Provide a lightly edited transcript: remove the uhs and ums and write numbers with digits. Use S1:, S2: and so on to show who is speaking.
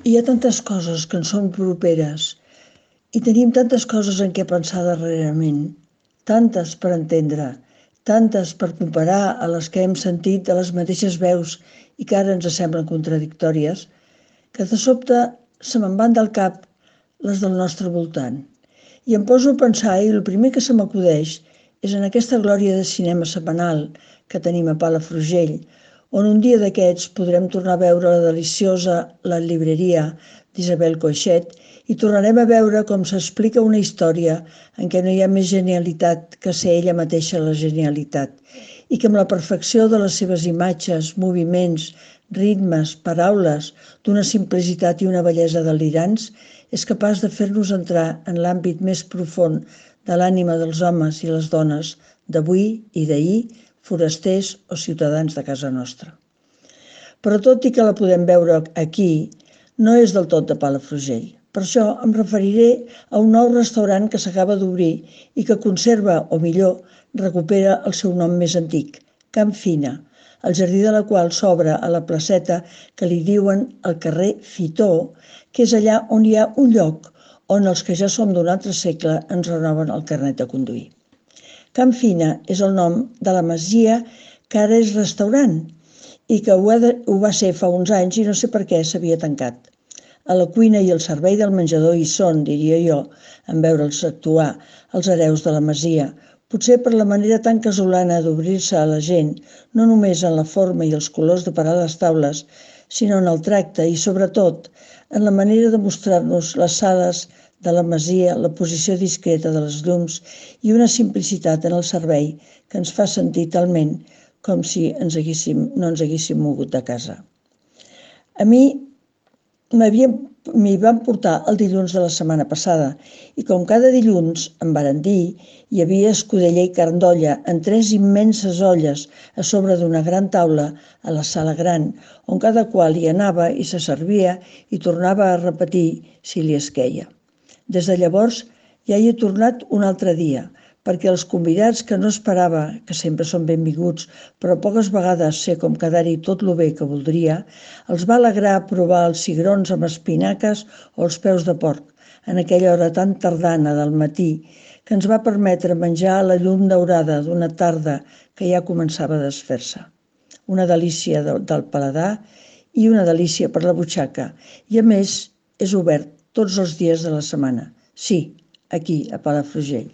S1: Hi ha tantes coses que ens són properes i tenim tantes coses en què pensar darrerament, tantes per entendre, tantes per comparar a les que hem sentit de les mateixes veus i que ara ens semblen contradictòries, que de sobte se me'n van del cap les del nostre voltant. I em poso a pensar i el primer que se m'acudeix és en aquesta glòria de cinema setmanal que tenim a Palafrugell, on un dia d'aquests podrem tornar a veure la deliciosa La llibreria d'Isabel Coixet i tornarem a veure com s'explica una història en què no hi ha més genialitat que ser ella mateixa la genialitat i que amb la perfecció de les seves imatges, moviments, ritmes, paraules, d'una simplicitat i una bellesa delirants, és capaç de fer-nos entrar en l'àmbit més profund de l'ànima dels homes i les dones d'avui i d'ahir, forasters o ciutadans de casa nostra. Però tot i que la podem veure aquí, no és del tot de Palafrugell. Per això em referiré a un nou restaurant que s'acaba d'obrir i que conserva, o millor, recupera el seu nom més antic, Can Fina, el jardí de la qual s'obre a la placeta que li diuen el carrer Fitó, que és allà on hi ha un lloc on els que ja som d'un altre segle ens renoven el carnet de conduir. Can Fina és el nom de la masia que ara és restaurant i que ho va ser fa uns anys i no sé per què s'havia tancat. A la cuina i al servei del menjador hi són, diria jo, en veure'ls actuar, els hereus de la masia, potser per la manera tan casolana d'obrir-se a la gent, no només en la forma i els colors de parar les taules, sinó en el tracte i, sobretot, en la manera de mostrar-nos les sales de la masia, la posició discreta de les llums i una simplicitat en el servei que ens fa sentir talment com si no ens haguéssim mogut de casa. A mi m'hi van portar el dilluns de la setmana passada i com cada dilluns em varen dir, hi havia escudella i carn d'olla en 3 immenses olles a sobre d'una gran taula a la sala gran, on cada qual hi anava i se servia i tornava a repetir si li esqueia. Des de llavors ja hi he tornat un altre dia, perquè els convidats que no esperava, que sempre són benvinguts, però poques vegades sé com quedar-hi tot lo bé que voldria, els va alegrar provar els cigrons amb espinaques o els peus de porc, en aquella hora tan tardana del matí, que ens va permetre menjar a la llum daurada d'una tarda que ja començava a desfer-se. Una delícia del paladar i una delícia per la butxaca, i a més és obert tots els dies de la setmana. Sí, aquí, a Palafrugell.